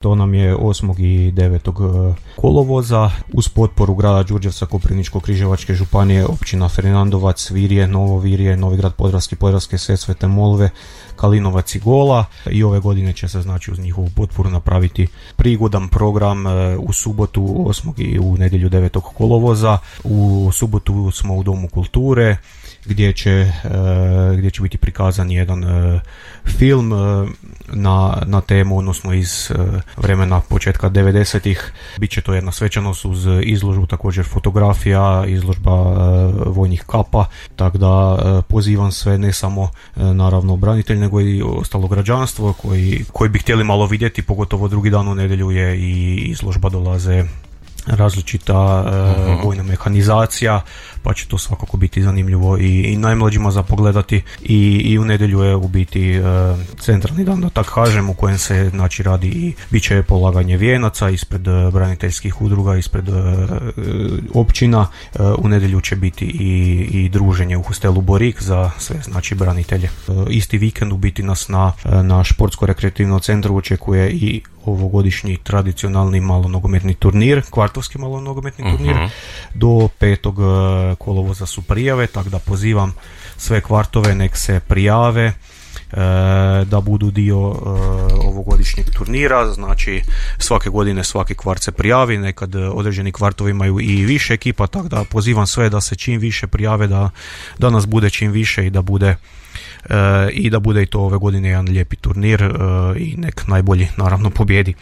To nam je 8. i 9. kolovoza uz potporu grada Đurđevca, Koprivničko-križevačke županije, općina Fernandovac, Virje, Novo Virje, Novi Grad Podravski, Podravske Sesvete, Molve, Kalinovac i Gola. I ove godine će se uz njihovu potporu napraviti prigodan program u subotu 8. i u nedjelju 9. kolovoza. U subotu smo u Domu kulture gdje će biti prikazan jedan film na temu, odnosno iz vremena početka 90-ih. Biće to jedna svečanost uz izložbu, također fotografija, izložba vojnih kapa, tako da pozivam sve, ne samo naravno branitelj, nego i ostalo građanstvo koji bi htjeli malo vidjeti, pogotovo drugi dan u nedjelju je i izložba, dolaze različita vojna mehanizacija, pa će to svakako biti zanimljivo i najmlađima za pogledati. I u nedjelju je u biti centralni dan, da tako kažem, u kojem se radi i bit će polaganje vijenaca ispred braniteljskih udruga, ispred općina. U nedjelju će biti i druženje u hostelu Borik za sve branitelje. Isti vikend u biti nas na športsko-rekreativnom centru očekuje i ovogodišnji tradicionalni malonogometni turnir, kvartovski malonogometni turnir. Do 5. kolovoza su prijave, tako da pozivam sve kvartove nek se prijave da budu dio ovogodišnjeg turnira. Znači svake godine svaki kvart se prijavi, nekad određeni kvartovi imaju i više ekipa, tako da pozivam sve da se čim više prijave, da nas bude čim više i da bude i to ove godine jedan lijepi turnir i nek najbolji naravno pobjedi.